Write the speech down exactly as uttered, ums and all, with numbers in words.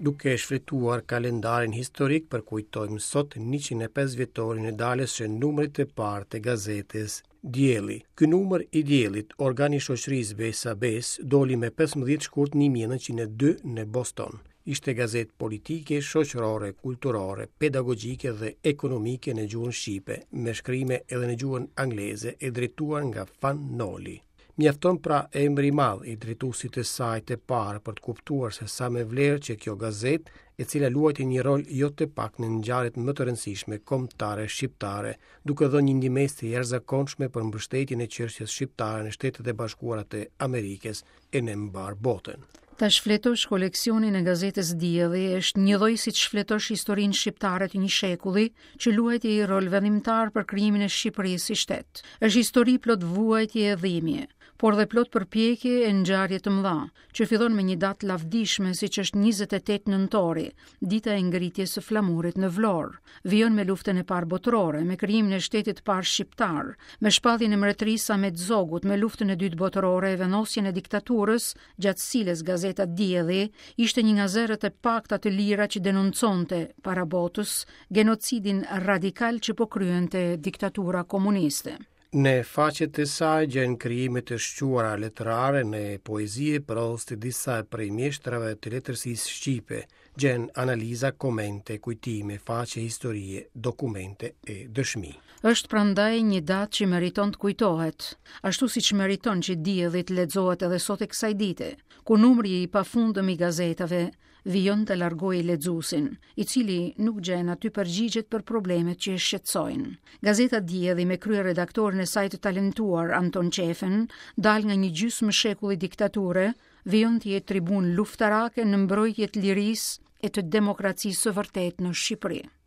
Duke shfletuar kalendarin historik, përkujtojmë sot njëqind e pesë vjetorin e daljes së numrit të parë të gazetës Dielli. Ky numër i Diellit, organi i shoqërisë Besa Besë, doli me pesëmbëdhjetë shkurt një mijë e nëntëqind e dy në Boston. Ishte gazetë politike, shoqërore, kulturore, pedagogjike dhe ekonomike në gjuhën shqipe, me shkrime edhe në gjuhën angleze, e drejtuar nga Fan Noli. Mjafton pra emri i madh i drejtuesit të saj të parë për të kuptuar se sa me vlerë që kjo gazetë, e cila luajti një rol jo të pak në ngjarjet më të rëndësishme kombëtare shqiptare, duke dhënë një ndihmesë të jashtëzakonshme për mbështetjen e çështjes shqiptare në Shtetet e Bashkuara të Amerikës e në mbar botën. Ta shfletosh koleksionin e gazetës Dielli është një lloj si të shfletosh historinë shqiptare të një shekulli që luajti një rol vendimtar për krijimin e Shqipërisë si shtet. Është histori plot vuajtje e dhimbje, por dhe plot përpjekje e ngjarje të mëdha, që fillon me një datë lavdishme siç është njëzet e tetë nëntori, dita e ngritjes së flamurit në Vlorë. Vijon me luftën e parë botërore, me krijimin e shtetit të parë shqiptar, me shpalljen e mbretërisë Ahmet Zogut, me luftën e dytë botërore e vendosjen e diktaturës, gjatë cilës gazeta Dielli ishte një nga zërat e pakta të lira që denonconte para botës genocidin radikal që po kryente diktatura komuniste. Në faqet e saj gjen krijime të shquara letrare në poezi e prozë të disa prej mjeshtrave të letërsisë shqipe, gjen analiza, komente, kujtime, faqe historie, dokumente e dëshmi. Është prandaj një datë që meriton të kujtohet, ashtu siç meriton që Dielli të lexohet edhe sot e kësaj dite, ku numri i pafundëm i gazetave vijon të largojë lexuesin, i cili nuk gjen aty përgjigjet për problemet që e shqetësojnë. Gazeta Dielli me kryeredaktorin e saj të talentuar Anton Qefen, dal nga një gjysmë shekulli diktature, vijon të jetë tribunë luftarake në mbrojtje të lirisë e të demokracisë së vërtetë në Shqipëri.